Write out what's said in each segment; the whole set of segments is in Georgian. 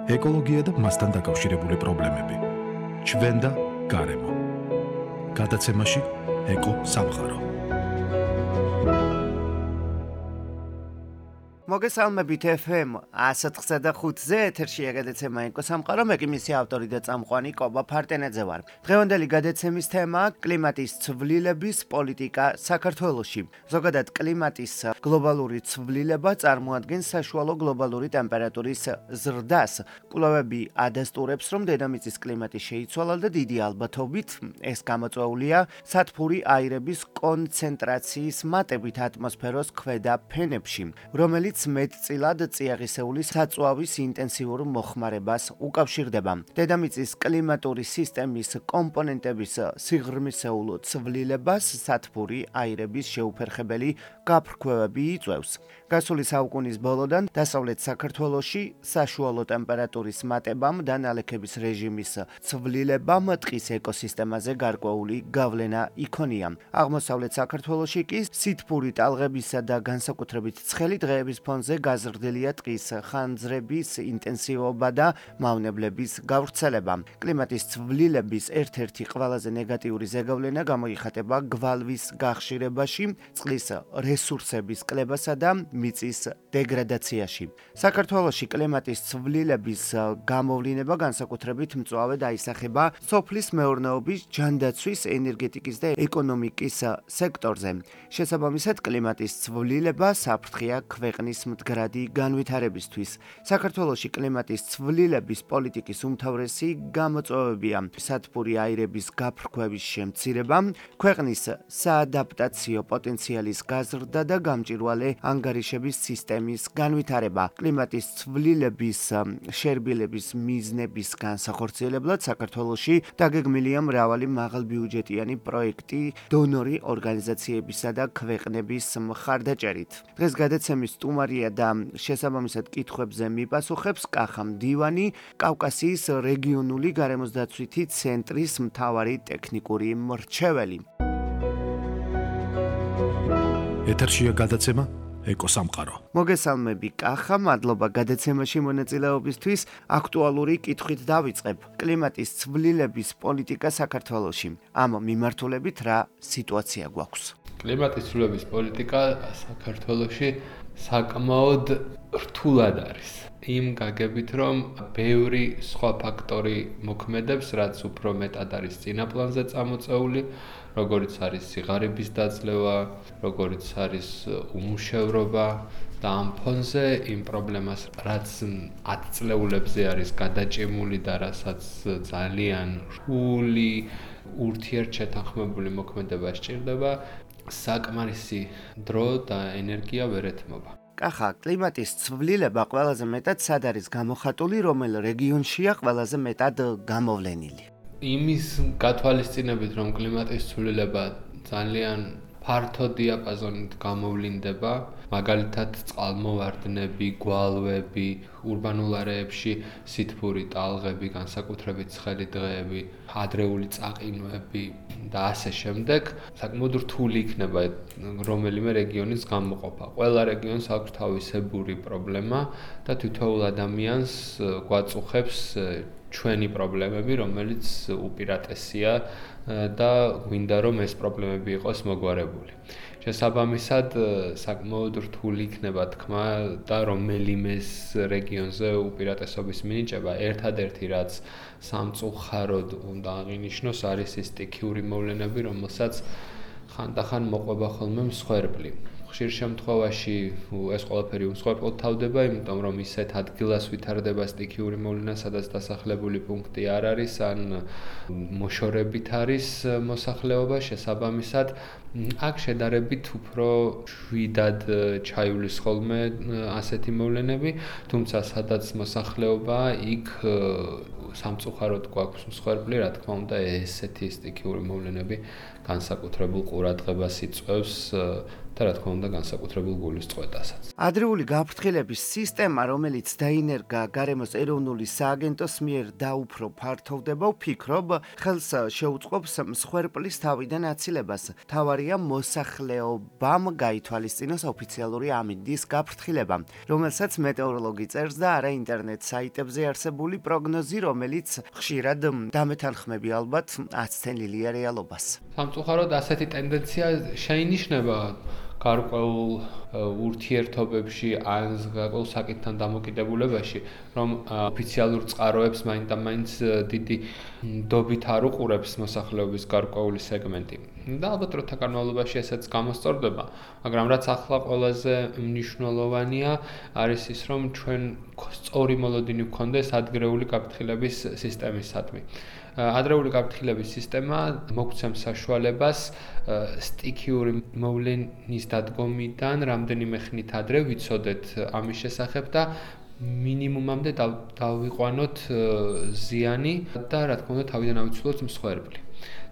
ეკოლოგია და მასთან დაკავშირებული პრობლემები. ჩვენ და გარემო. გადაცემაში ეკო სამყარო. მოგესალმებით FM 105-ზე ეთერშია გადაცემა ეკო სამყარო, მე კი მისი ავტორი და წამყვანი კობა ფარტენაძე ვარ. დღევანდელი გადაცემის თემაა კლიმატის ცვლილების პოლიტიკა საქართველოში. ზოგადად კლიმატის გლობალური ცვლილება წარმოადგენს საშუალო გლობალური ტემპერატურის ზრდას. კვლევები ადასტურებს, რომ დედამიწის კლიმატი შეიცვალა და დიდი ალბათობით ეს გამოწვეულია სათბური აირების კონცენტრაციის მატებით ატმოსფეროს ქვედა ფენებში, რომელიც მეტწილად წიაღისეული საწვავის ინტენსიურ მოხმარებას უკავშირდება. დედამიწის კლიმატური სისტემის კომპონენტების სიღრმისეულ ცვლილებას სათბური აირების შეუფერხებელი გაფრქვევები იწვევს. გასული საუკუნის ბოლოდან დასავლეთ საქართველოში საშუალო ტემპერატურის მატებამ და ნალექების რეჟიმის ცვლილებამ ტყის ეკოსისტემაზე გარკვეული გავლენა იქონია. აღმოსავლეთ საქართველოში კი სითბური ტალღებისა და განსაკუთრებით ცხელი დღეების ფონზე გაზრდილია ტყის ხანძრების ინტენსივობა და მავნებლების გავრცელება. კლიმატის ცვლილების ერთ-ერთი ყველაზე ნეგატიური ზეგავლენა გამოიხატება გვალვის გახშირებაში, წყლის რესურსების კლებასა და მიწის დეგრადაციაში. საქართველოში კლიმატის ცვლილების გამოვლინება განსაკუთრებით მწვავე დაისახება სოფლის მეურნეობის, ჯანდაცვის, ენერგეტიკის და ეკონომიკის სექტორზე. შესაბამისად, კლიმატის ცვლილება საფრთხეა ქვეყნის მდგრადი განვითარებისთვის. საქართველოში კლიმატის ცვლილების პოლიტიკის უმთავრესი გამოწვევებია სათბური აირების გაფრქვევის შემცირება, ქვეყნის საადაპტაციო პოტენციალის გაზრდა და გამჭვირვალე ანგარიშების სისტემის განვითარება. კლიმატის ცვლილების შერბილების მიზნების განსახორციელებლად საქართველოში დაგეგმილია მრავალი მაღალბიუჯეტიანი პროექტი დონორი ორგანიზაციებისა და ქვეყნების მხარდაჭერით. დღეს გადაცემის სტუმარია და შესაბამისად კითხვებზე მიპასუხებს კახა მდივანი, კავკასიის რეგიონული გარემოსდაცვითი ცენტრის მთავარი ტექნიკური მრჩეველი. ეთერშია გადაცემა ეკო სამყარო. მოგესალმები კახა, მადლობა გადაცემაში მონაწილეობისთვის. აქტუალური კითხვით დავიწყებ. კლიმატის ცვლილების პოლიტიკა საქართველოში. ამ მიმართულებით რა სიტუაცია გვაქვს? კლიმატის ცვლილების პოლიტიკა საქართველოში საკმაოდ რთულად არის. იმ გაგებით, რომ ბევრი სხვა ფაქტორი მოქმედებს, რაც უფრო მეტად არის წინა პლანზე წამოწეული, როგორიც არის სიღარიბის დაძლევა, როგორიც არის უმუშევრობა და ამ ფონზე იმ პრობლემას, რაც 10 წლეულებზე არის გადაჭიმული და რასაც ძალიან რთული ურთიერთშეთანხმებული მოქმედება სჭირდება, საკმარისი დრო და ენერგია ვერ ეთმობა. კახა, კლიმატის ცვლილება ყველაზე მეტად სად არის გამოხატული, რომელ რეგიონშია ყველაზე მეტად გამოვლენილი? იმის გათვალისწინებით, რომ კლიმატის ცვლილება ძალიან ფართო დიაპაზონით გამოვლინდება, მაგალითად წყალმოვარდნები, გვალვები, ურბანულ არეებში სითბური ტალღები, განსაკუთრებით ცხელი დღეები, ადრეული წაყინვები და ასე შემდეგ, საკმაოდ რთული იქნება რომელიმე რეგიონის გამოყოფა. ყველა რეგიონს აქვს თავისებური პრობლემა და თითოეულ ადამიანს გვაწუხებს ჩვენი პრობლემები, რომელიც უპირატესია და გვინდა რომ ეს პრობლემები იყოს მოგვარებული. შესაბამისად, საკმაოდ რთული იქნება თქმა და რომელიმე რეგიონზე უპირატესობის მინიჭება. ერთადერთი რაც სამწუხაროდ უნდა აღინიშნოს, არის ის სტიქიური მოვლენები, რომელსაც ხანდახან მოყვება ხოლმე მსხვერპლი. ხშირ შემთხვევაში ეს ყველაფერი უმსხვერპლად თავდება, იმიტომ რომ ისეთ ადგილას ვითარდება სტიქიური მოვლენა, სადაც დასახლებული პუნქტი არ არის, ან მოშორებით არის მოსახლეობა, შესაბამისად, აქ შედარებით უფრო შვიდად ჩაივლის ხოლმე ასეთი მოვლენები, თუმცა სადაც მოსახლეობა, იქ სამწუხაროდ გვაქვს მსხვერპლი, რა თქმა უნდა, ესეთი სტიქიური მოვლენები განსაკუთრებულ ყურადღებას იწვევს და რა თქმა უნდა განსაკუთრებულ გულისწყობასაც. ადრეული გაფრთხილების სისტემა, რომელიც დაინერგა გარემოს ეროვნული სააგენტოს მიერ დაუფრო ფართოვდება, ვფიქრობ, ხელს შეუწყობს მსხვერპლის თავიდან აცილებას. თავარია მოსახლეობამ გაითვალისწინოს ოფიციალური ამინდის გაფრთხილება, რომელსაც მეტეოროლოგი წერს და არა ინტერნეტ საიტებზე არსებული პროგნოზი, რომელიც ხშირად დამეთანხმები ალბათ აცთენილია რეალობას. სამწუხაროდ ასეთი ტენდენცია შეინიშნება გარკვეულ ურთიერთობებში ან გარკვეულ საკითხთან დამოკიდებულებაში, რომ ოფიციალურ წყაროებს მაინც დიდი დობით არ უყურებს მოსახლეობის გარკვეული სეგმენტი. და ალბათ დროთა განმავლობაში ესეც გამოსწორდება, მაგრამ რაც ახლა ყველაზე მნიშვნელოვანია, არის ის, რომ ჩვენ სწორი მოლოდინი გვქონდეს ადგილეული გაფრთხილების სისტემისადმი. ადრეული გაფრთხილების სისტემა მოგცემს საშუალებას სტიქიური მოვლენის დადგომიდან რამდენიმე ხნით ადრე ვიცოდეთ ამის შესახებ და მინიმუმამდე დავიყვანოთ ზიანი და რა თქმა უნდა თავიდან ავიცილოთ მსხვერპლი.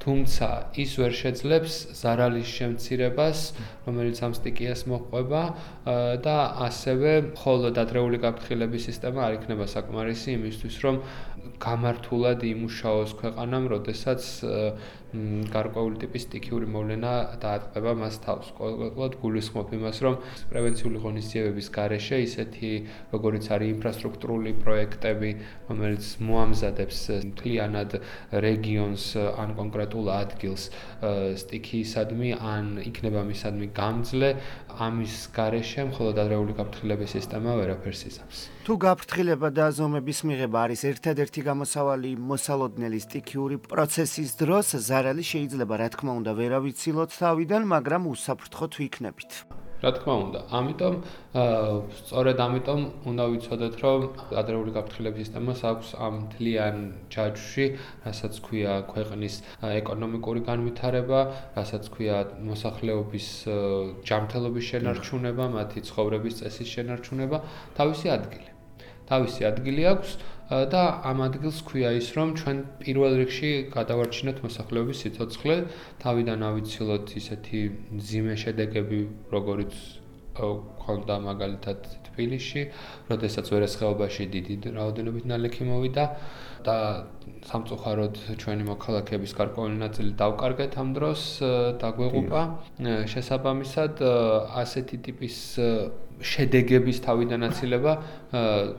თუმცა ის ვერ შეძლებს ზარალის შემცირებას, რომელიც ამ სტიქიას მოჰყვება და ასევე მხოლოდ ადრეული გაფრთხილების სისტემა არ იქნება საკმარისი იმისთვის, რომ გამართულად იმუშაოს ქვეყანამ, როდესაც გარკვეული ტიპის სტიქიური მოვლენა დაატყვევა მას თავს. ყოველგვარად გულისხმობ იმას, რომ პრევენციული ღონისძიებების გარეშე ისეთი, როგორიც არის ინფრასტრუქტურული პროექტები, რომელიც მოამზადებს მთლიანად რეგიონს ან კონკრეტულ ადგილს სტიქიისადმი ან იქნება მისადმი გამძლე, ამის გარეშე მხოლოდ ადრეული გაფრთხილების სისტემა ვერაფერს იზამს. თუ გაფრთხილება და ზომების მიღება არის ერთადერთი გამოსავალი მოსალოდნელი სტიქიური პროცესის დროს, ზარალი შეიძლება რა თქმა უნდა ვერ ავიცილოთ თავიდან, მაგრამ უსაფრთხოდ ვიქნებით. რა თქმა უნდა, სწორედ ამიტომ უნდა ვიცოდეთ, რომ ადრეული გაფრთხილების სისტემას აქვს ამ მთლიან ჯაჭვში, რასაც ქვია ქვეყნის ეკონომიკური განვითარება, რასაც ქვია მოსახლეობის ჯანმრთელობის შენარჩუნება, მათი ცხოვრების წესის შენარჩუნება, თავისი ადგილი. თავისი ადგილი აქვს და ამ ადგილს ქვია ის, რომ ჩვენ პირველ რიგში გადავარჩინოთ მოსახლეობის სიცოცხლე, თავიდან ავიცილოთ ისეთი მძიმე შედეგები, როგორიც ქონდა მაგალითად თბილისში, როდესაც ვერასხეობაში დიდი რაოდენობით ნალექი მოვიდა და სამწუხაროდ ჩვენი მოქალაქეების გარკვეული ნაწილი დავკარგეთ ამ დროს, დაგვეღუპა. შესაბამისად, ასეთი ტიპის შედეგების თავიდან აცილება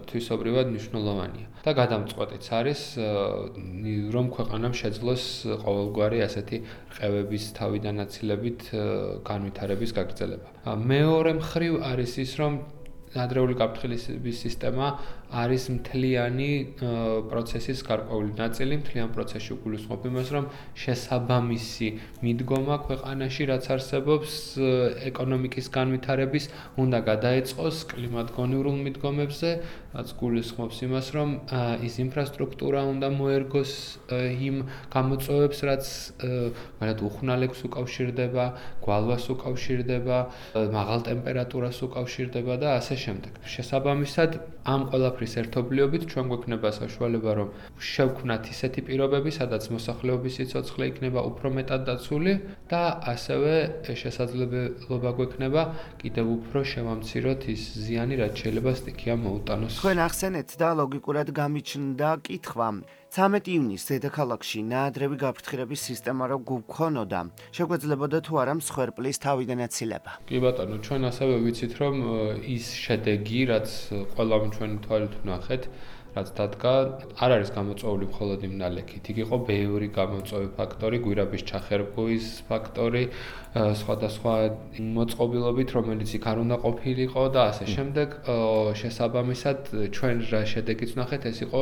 თვისობრივად მნიშვნელოვანია. და გადამწყვეტიც არის, რომ ქვეყანამ შეძლოს ყოველგვარი ასეთი რყევების თავიდან აცილებით განვითარების გაგრძელება. მეორე მხრივ არის ის, რომ ადრეული გაფრთხილების სისტემა არის მთლიანი პროცესის გარკვეული ნაწილი, მთლიან პროცესში გულისხმობ იმას, რომ შესაბამისი მიდგომა ქვეყანაში, რაც არსებობს ეკონომიკის განვითარების, უნდა გადაეწყოს კლიმატგონივრულ მიდგომებზე, რაც გულისხმობს იმას, რომ ის ინფრასტრუქტურა უნდა მოერგოს იმ გამოწვევებს, რაც მაგალითად უხვნალებს უკავშირდება, გვალვას უკავშირდება, მაღალ ტემპერატურას უკავშირდება და ასე შემდეგ. შესაბამისად, ამ ყველაფრის ერთობლიობით ჩვენ გვექნება საშუალება, რომ შევქმნათ ისეთი პირობები, სადაც მოსახლეობის სიცოცხლე იქნება უფრო მეტად დაცული და ასევე შესაძლებლობა გვექნება კიდევ უფრო შევამციროთ ის ზიანი, რაც შეიძლება სტიქიამ მოუტანოს. თქვენ ახსენეთ და ლოგიკურად გამიჩნდა კითხვა. 13 ივნისს დედაქალაქში ნაადრევი გაფრთხილების სისტემა რო გვქონოდა, შეგვეძლებოდა თუ არა მსხვერპლის თავიდან აცილება? კი ბატონო, ჩვენ ასევე ვიცით, რომ ის შედეგი, რაც ყველამ ჩვენი თვალით ვნახეთ, რაც დადგა, არ არის გამოწვეული მხოლოდ იმ ნალექით. იქ იყო ბევრი გამოწვევი ფაქტორი, გვირაბის ჩახერგვის ფაქტორი, სხვადასხვა მოწყობილობით, რომელიც იქ არ უნდა ყოფილიყო და ასე შემდეგ. შესაბამისად, ჩვენ რა შედეგიც ვნახეთ, ეს იყო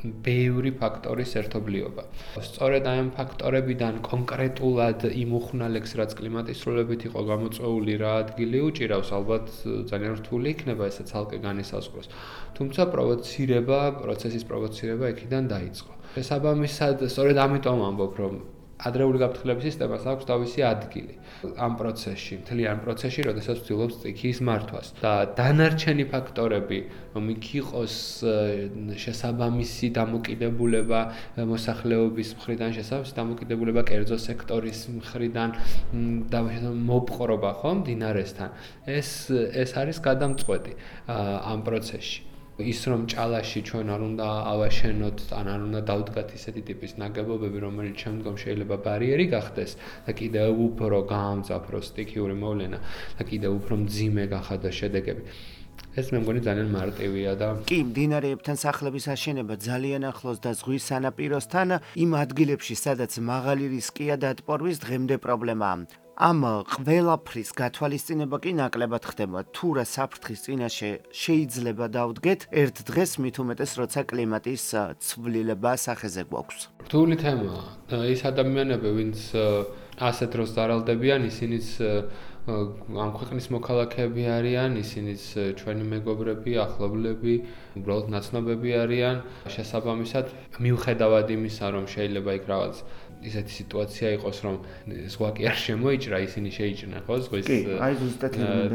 ბევრი ფაქტორის ერთობლიობა. სწორედ აი ამ ფაქტორებიდან კონკრეტულად იმ უხვნალებს, რაც კლიმატის სრულებით იყო გამოწვეული, რა ადგილი უჭირავს, ალბათ ძალიან რთული იქნება ესე ცალკე განისაზღვროს. თუმცა პროცესის პროვოცირება იქიდან დაიწყო. შესაბამისად, სწორედ ამიტომ ამბობ, რომ ადრეული გაფრთხილების სისტემას აქვს თავისი ადგილი ამ პროცესში, მთლიან პროცესში, როდესაც ვცდილობს სტიქიის მართვას. და დანარჩენი ფაქტორები, რომ იქ იყოს შესაბამისი დამოკიდებულება მოსახლეობის მხრიდან, შესაბამისი დამოკიდებულება კერძო სექტორის მხრიდან და მოპყრობა, ხო, მდინარესთან. ეს არის გადამწყვეტი ამ პროცესში. ის რომ ჭალაში ჩვენ არ უნდა ავაშენოთ, ან არ უნდა დავდგათ ისეთი ტიპის ნაგებობები, რომელიც შემდგომ შეიძლება ბარიერი გახდეს და კიდევ უფრო გაამძაფროს სტიქიური მოვლენა და კიდევ უფრო მძიმე გახადოს შედეგები. ეს მე მგონი ძალიან მარტივია და კი, მდინარეებთან სახლების აშენება ძალიან ახლოს და ზღვის სანაპიროსთან, იმ ადგილებში, სადაც მაღალი რისკია დატბორვის, დღემდე პრობლემაა. ამ ყველაფრის გათვალისწინება კი ნაკლებად ხდება. თუ რა საფრთხის წინაშე შეიძლება დავდგეთ ერთ დღეს, მით უმეტეს, როცა კლიმატის ცვლილება სახეზე გვაქვს. რთული თემაა. ის ადამიანები, ვინც ასეთ დროს ზარალდებიან, ისინიც ამ ქვეყნის მოქალაქეები არიან, ისინიც ჩვენი მეგობრები, ახლობლები, უბრალოდ ნაცნობები არიან. შესაბამისად, მიუხედავად იმისა, რომ შეიძლება იქ რაღაც ისეთი სიტუაცია იყოს, რომ ზღვა კი არ შემოიჭრა, ისინი შეიჭრნენ, ხო, ზღვის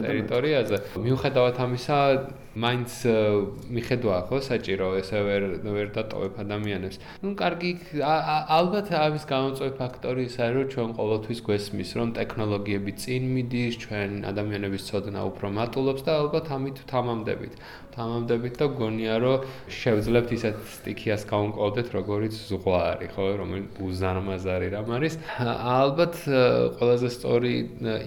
ტერიტორიაზე. მიუხედავად ამისა, მაინც მიხედვა, ხო, საჭირო ესე ვერ დატოვებ ადამიანებს. კარგი, ალბათ ამის გამომწვევი ფაქტორი ისაა, რომ ჩვენ ყოველთვის გვესმის, რომ ტექნოლოგიები წინ მიდის, ჩვენ ადამიანების ცოდნა უფრო მატულობს და ალბათ ამით ვთამამდებით და გონია, რომ შევძლებთ ისეთ სტიქიას გავუმკლავდეთ, როგორიც ზღვა არის, ხო, რომელიც უზარმაზარი რამ არის. ალბათ ყველაზე სწორი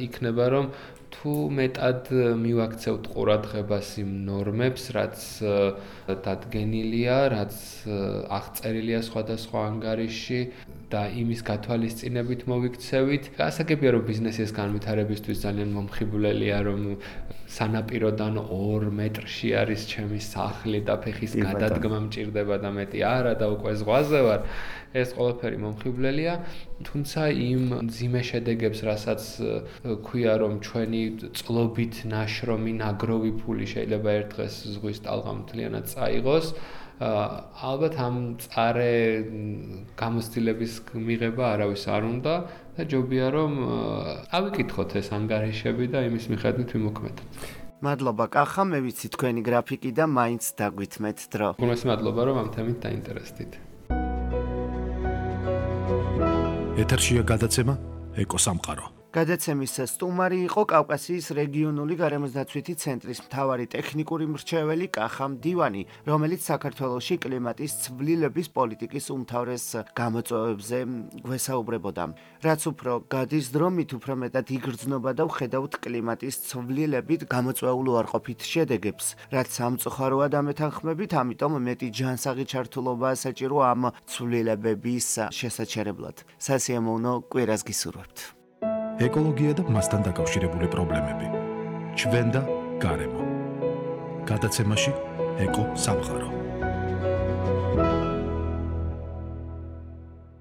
იქნება, რომ თუ მეტად მივაქცევთ ყურადღებას იმ ნორმებს, რაც დადგენილია, რაც აღწერილია სხვადასხვა ანგარიში და იმის გათვალისწინებით მოვიქცევით. გასაგებია, რომ ბიზნესის განვითარებისთვის ძალიან მომხიბვლელია, რომ სანაპიროდან 2 მეტრში არის ჩემი სახლი და ფეხის გადადგმა მჭირდება და მეტი არა და უკვე ზღვაზე ვარ. ეს ყველაფერი მომხიბვლელია, თუმცა იმ მძიმე შედეგებს, რასაც ქვია, რომ ჩვენი წყლობით ნაშრომი ნაგროვი ფული შეიძლება ერთ დღეს ზღვის ტალღამ მთლიანად წაიღოს, ალბათ ამ მწარე გამოცდილების მიღება არავის არ უნდა და ჯობია, რომ ავიკითხოთ ეს ანგარიშები და იმის მიხედვით ვიმოქმედოთ. მადლობა კახა, მე ვიცი თქვენი გრაფიკი და მაინც დაგვითმეთ დრო. გულმოს მადლობა, რომ ამ თემით დაინტერესდით. ეთერშია გადაცემა ეკოსამყარო. გადაცემის სტუმარი იყო კავკასიის რეგიონული გარემოსდაცვითი ცენტრის მთავარი ტექნიკური მრჩეველი კახა მდივანი, რომელიც საქართველოში კლიმატის ცვლილების პოლიტიკის უმთავრეს გამოწვევებზე გვესაუბრებოდა. რაც უფრო გადის დრო, მით უფრო მეტად იგრძნობა და ვხედავთ კლიმატის ცვლილებით გამოწვეულ უარყოფით შედეგებს. რაც სამწუხაროა დამეთანხმებით, ამიტომ მეტი ჯანსაღი ჩართულობა საჭირო ამ ცვლილებების შესაჩერებლად. სასიამოვნო კვირას გისურვებთ. ეკოლოგია და მასთან დაკავშირებული პრობლემები. ჩვენ და გარემო. გადაცემაში ეკო სამყარო.